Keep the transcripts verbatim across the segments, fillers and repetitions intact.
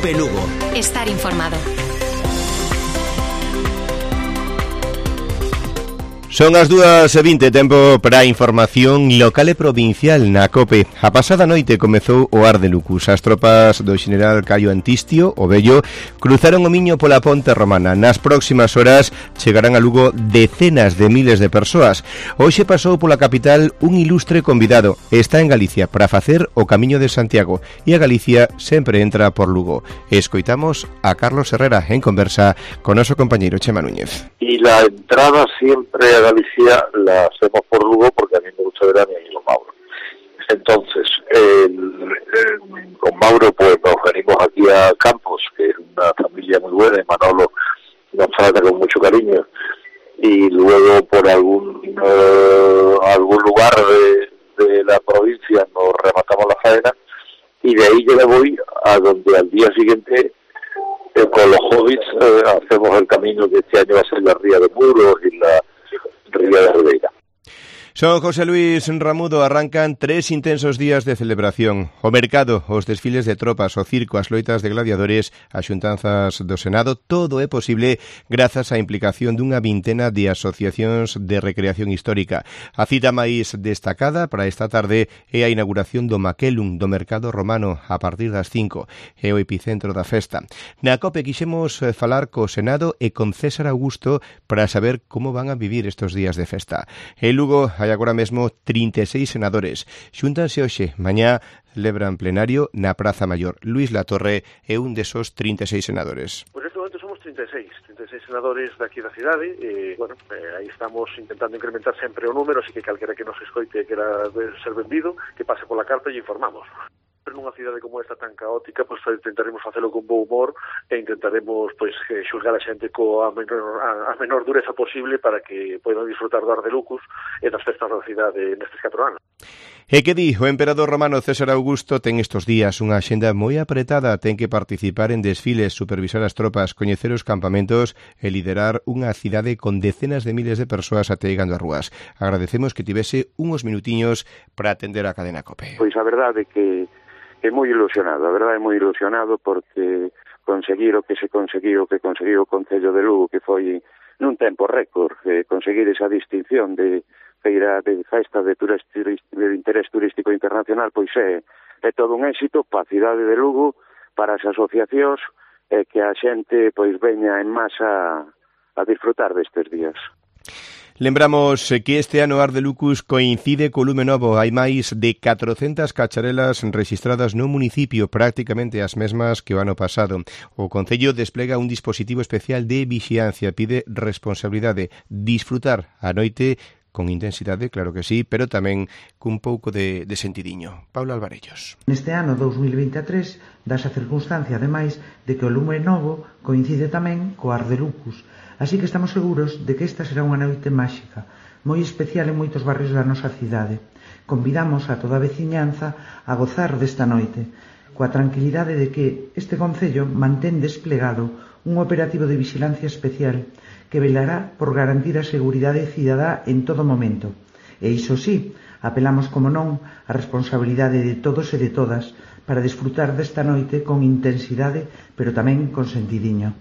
COPE Lugo. Estar informado. Son as dúas e vinte, tempo para a información local e provincial na COPE. A pasada noite comezou o Ar de Lucus. As tropas do xeneral Caio Antistio, o Vello, cruzaron o Miño pola Ponte Romana. Nas próximas horas chegarán a Lugo decenas de miles de persoas. Hoxe pasou pola capital un ilustre convidado. Está en Galicia para facer o Camiño de Santiago e a Galicia sempre entra por Lugo. Escoitamos a Carlos Herrera en conversa con noso compañeiro Chema Núñez. Y la entrada siempre a Galicia la hacemos por Lugo porque a mí me gusta ver a mi amigo Mauro. Entonces, el, el, con Mauro pues nos venimos aquí a Campos, que es una familia muy buena, y Manolo nos trata con mucho cariño, y luego por algún uh, algún lugar de, de la provincia nos rematamos la faena, y de ahí yo me voy a donde al día siguiente eh, con los hobbits eh, hacemos el camino que este año va a ser la Ría de Muros y la Ría de Ribeira. Son José Luis Ramudo, arrancan tres intensos días de celebración. O mercado, os desfiles de tropas, o circo, as loitas de gladiadores, as xuntanzas do Senado, todo é posible grazas á implicación dunha vintena de asociacións de recreación histórica. A cita máis destacada para esta tarde é a inauguración do Maquelum, do mercado romano, a partir das cinco. É o epicentro da festa. Na COPE quixemos falar co Senado e con César Augusto para saber como van a vivir estes días de festa. En Lugo hai agora mesmo trinta e seis senadores. Xúntanse hoxe, mañá celebran plenario na Praza Maior. Luís Latorre é un desos trinta e seis senadores. Pois neste momento somos trinta e seis, trinta e seis senadores daqui da cidade, e, bueno, eh, aí estamos intentando incrementar sempre o número, así que calquera que nos escoite que era de ser benvido, que pase pola carta e informamos. Nunha cidade como esta tan caótica, pois intentaremos facelo con bo humor e intentaremos pois xulgar a xente coa menor, a, a menor dureza posible para que poidan disfrutar do Ar de Lucus e das festas da cidade nestes catro anos. E que di, o emperador romano César Augusto ten estes días unha axenda moi apretada, ten que participar en desfiles, supervisar as tropas, coñecer os campamentos e liderar unha cidade con decenas de miles de persoas ateigando as rúas. Agradecemos que tivese uns minutiños para atender a cadena COPE. Pois a verdade que é moi ilusionado, a verdade é moi ilusionado porque conseguir o que se conseguiu, o que conseguiu o Concello de Lugo, que foi nun tempo récord, eh, conseguir esa distinción de feira de festa de, turist, de interés turístico internacional, pois é, é todo un éxito para a cidade de Lugo, para as asociacións, e eh, que a xente pois veña en masa a disfrutar destes días. Lembramos que este ano Ar de Lucus coincide co lume novo. Hai máis de catrocentas cacharelas registradas no municipio, prácticamente as mesmas que o ano pasado. O Concello desplega un dispositivo especial de vixiancia, pide responsabilidade, disfrutar a noite con intensidade, claro que sí, pero tamén cun pouco de, de sentidiño. Paulo Alvarellos. Neste ano dous mil vinte e tres das a circunstancia, ademais, de que o lume novo coincide tamén co Ar de Lucus. Así que estamos seguros de que esta será unha noite máxica, moi especial en moitos barrios da nosa cidade. Convidamos a toda a veciñanza a gozar desta noite, coa tranquilidade de que este Concello mantén desplegado un operativo de vixilancia especial que velará por garantir a seguridade cidadá en todo momento. E iso sí, apelamos, como non, a responsabilidade de todos e de todas para desfrutar desta noite con intensidade, pero tamén con sentidiño.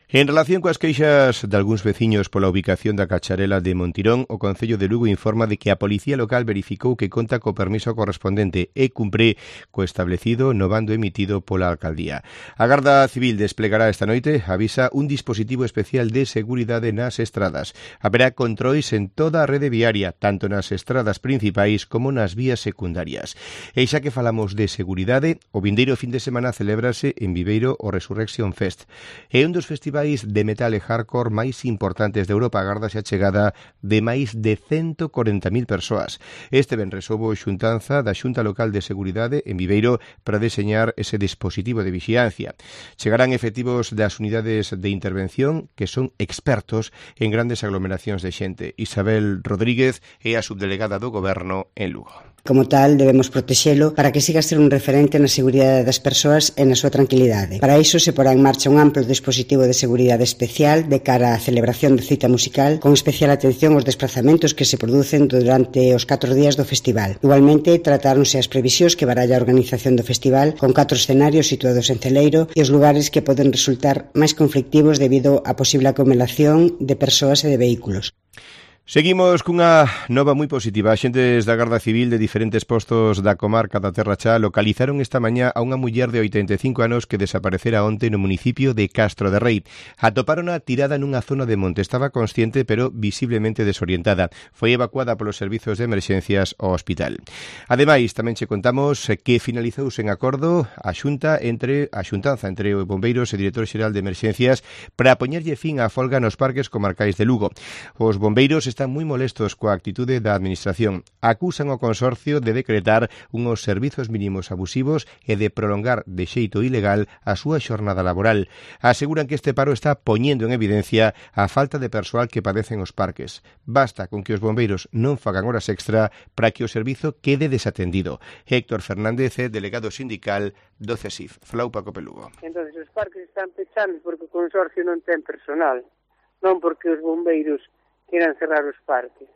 En relación coas queixas de algúns veciños pola ubicación da cacharela de Montirón, o Concello de Lugo informa de que a Policía Local verificou que conta co permiso correspondente e cumpre co establecido no bando emitido pola Alcaldía. A Garda Civil desplegará esta noite, avisa, un dispositivo especial de seguridade nas estradas. Haberá controis en toda a rede viaria, tanto nas estradas principais como nas vías secundarias. E xa que falamos de seguridade, o vindeiro fin de semana celébrase en Viveiro o Resurrection Fest. É un dos festivais de metal e hardcore máis importantes de Europa, agárdase a chegada de máis de ciento corenta mil persoas. Este venres houbo xuntanza da Xunta Local de Seguridade en Viveiro para deseñar ese dispositivo de vixiancia. Chegarán efectivos das unidades de intervención que son expertos en grandes aglomeracións de xente. Isabel Rodríguez é a subdelegada do Goberno en Lugo. Como tal, debemos protexelo para que siga a ser un referente na seguridade das persoas e na súa tranquilidade. Para iso se porá en marcha un amplo dispositivo de seguridade especial de cara á celebración da cita musical, con especial atención aos desplazamentos que se producen durante os catro días do festival. Igualmente, tratáronse as previsións que baralla a organización do festival con catro escenarios situados en Celeiro e os lugares que poden resultar máis conflictivos debido á posible acumulación de persoas e de vehículos. Seguimos cunha nova moi positiva. Axentes da Garda Civil de diferentes postos da comarca da Terra Chá localizaron esta mañá a unha muller de oitenta e cinco anos que desaparecera onte no municipio de Castro de Rei. Atopárona tirada nunha zona de monte. Estaba consciente, pero visiblemente desorientada. Foi evacuada polos servizos de emerxencias ao hospital. Ademais, tamén che contamos que finalizouse en acordo a xunta entre a xuntanza entre os bombeiros e director xeral de emerxencias para poñerlle fin á folga nos parques comarcais de Lugo. Os bombeiros están moi molestos coa actitude da administración. Acusan ao consorcio de decretar unhos servizos mínimos abusivos e de prolongar de xeito ilegal a súa xornada laboral. Aseguran que este paro está poñendo en evidencia a falta de persoal que padecen os parques. Basta con que os bombeiros non fagan horas extra para que o servizo quede desatendido. Héctor Fernández é delegado sindical do CESIF. Flau Paco Pelugo. Entón, os parques están pechando porque o consorcio non ten personal, non porque os bombeiros queran cerrar os parques.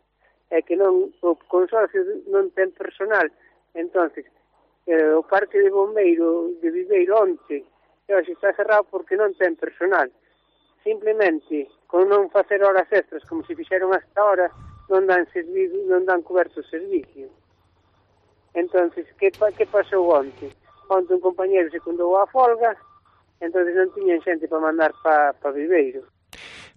É que non o consorcio non ten personal. Entonces, eh, o parque de bombeiro de Viveiro onte hoxe está cerrado porque non ten personal. Simplemente, con non facer horas extras como se fixeron hasta ahora, non dan servizo, non dan coberto o servicio. Entonces, que, que pasou onte? Onte un compañero secundou a folga, entonces non tiñan xente para mandar para pa Viveiro.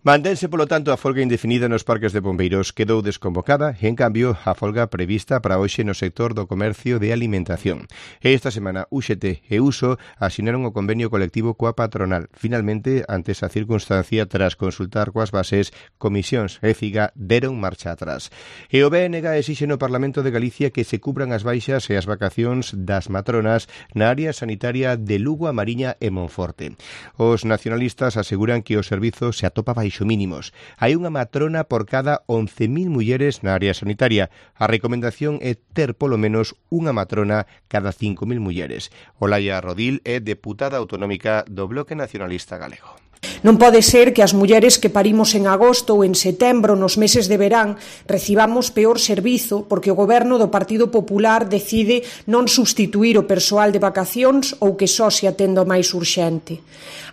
Mantense, polo tanto, a folga indefinida nos parques de bombeiros. Quedou desconvocada e, en cambio, a folga prevista para hoxe no sector do comercio de alimentación. E esta semana, U X T e Uso asinaron o convenio colectivo coa patronal. Finalmente, ante esa circunstancia, tras consultar coas bases, Comisións e Figa deron marcha atrás. E o B N G exixe no Parlamento de Galicia que se cubran as baixas e as vacacións das matronas na área sanitaria de Lugo, a Mariña e Monforte. Os nacionalistas aseguran que o servizo se atopa baixo mínimos. Hai unha matrona por cada once mil mulleres na área sanitaria. A recomendación é ter polo menos unha matrona cada cinco mil mulleres. Olaya Rodil é deputada autonómica do Bloque Nacionalista Galego. Non pode ser que as mulleres que parimos en agosto ou en setembro, nos meses de verán, recibamos peor servizo porque o goberno do Partido Popular decide non substituir o persoal de vacacións ou que só se atenda o máis urxente.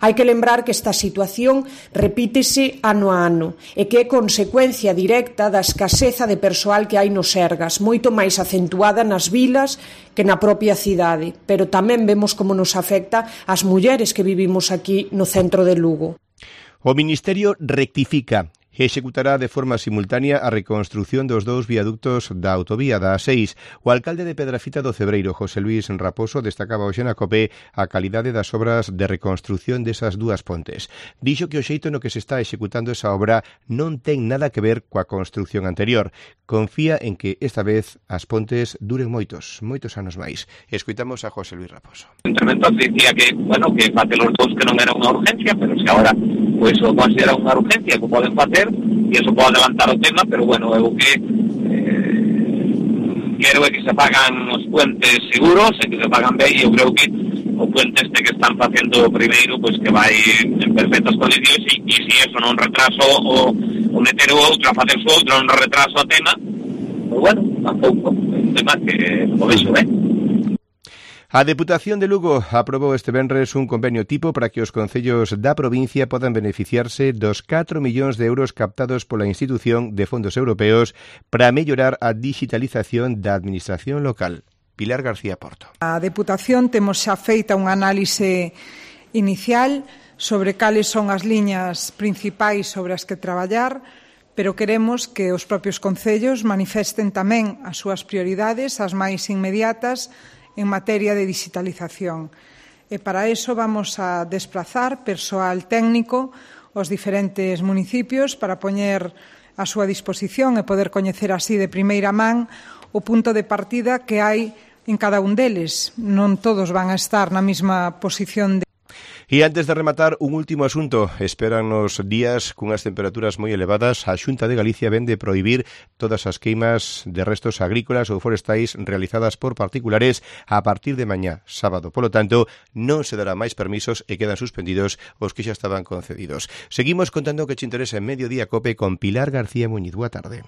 Hai que lembrar que esta situación repítese ano a ano e que é consecuencia directa da escaseza de persoal que hai nos Sergas, moito máis acentuada nas vilas que na propia cidade, pero tamén vemos como nos afecta as mulleres que vivimos aquí no centro de Lugo. O Ministerio rectifica e executará de forma simultánea a reconstrución dos dous viaductos da autovía da A seis. O alcalde de Pedrafita do Cebreiro, José Luis Raposo, destacaba hoxe na COPE a calidade das obras de reconstrución desas dúas pontes. Dixo que o xeito no que se está executando esa obra non ten nada que ver coa construción anterior. Confía en que esta vez as pontes duren moitos, moitos anos máis. Escoitamos a José Luis Raposo. O interventor dicía que, bueno, que facer os dous que non era unha urgencia, pero se agora pois o considera unha urgencia que poden facer e iso pode adelantar o tema, pero bueno, eu que eh, quero é que se pagan os puentes seguros e que se pagan ben, e eu creo que o puente este que están facendo primeiro, pois que vai en perfectas condicións, e, e se eso non retraso o, o meter o outro a facer o outro non retraso o tema, pois bueno, tampouco é un tema que o vexo ben. A Deputación de Lugo aprobou este venres un convenio tipo para que os concellos da provincia podan beneficiarse dos catro millóns de euros captados pola institución de fondos europeos para mellorar a digitalización da administración local. Pilar García Porto. A Deputación temos xa feita un análise inicial sobre cales son as liñas principais sobre as que traballar, pero queremos que os propios concellos manifesten tamén as súas prioridades, as máis inmediatas, en materia de digitalización. E para eso vamos a desplazar persoal técnico aos diferentes municipios para poñer a súa disposición e poder coñecer así de primeira man o punto de partida que hai en cada un deles. Non todos van a estar na mesma posición de E antes de rematar, un último asunto. Espérannos días cunhas temperaturas moi elevadas. A Xunta de Galicia vende prohibir todas as queimas de restos agrícolas ou forestais realizadas por particulares a partir de mañá, sábado. Polo tanto, non se dará máis permisos e quedan suspendidos os que xa estaban concedidos. Seguimos contando o que che interesa en Mediodía Cope con Pilar García Muñiz. Boa tarde.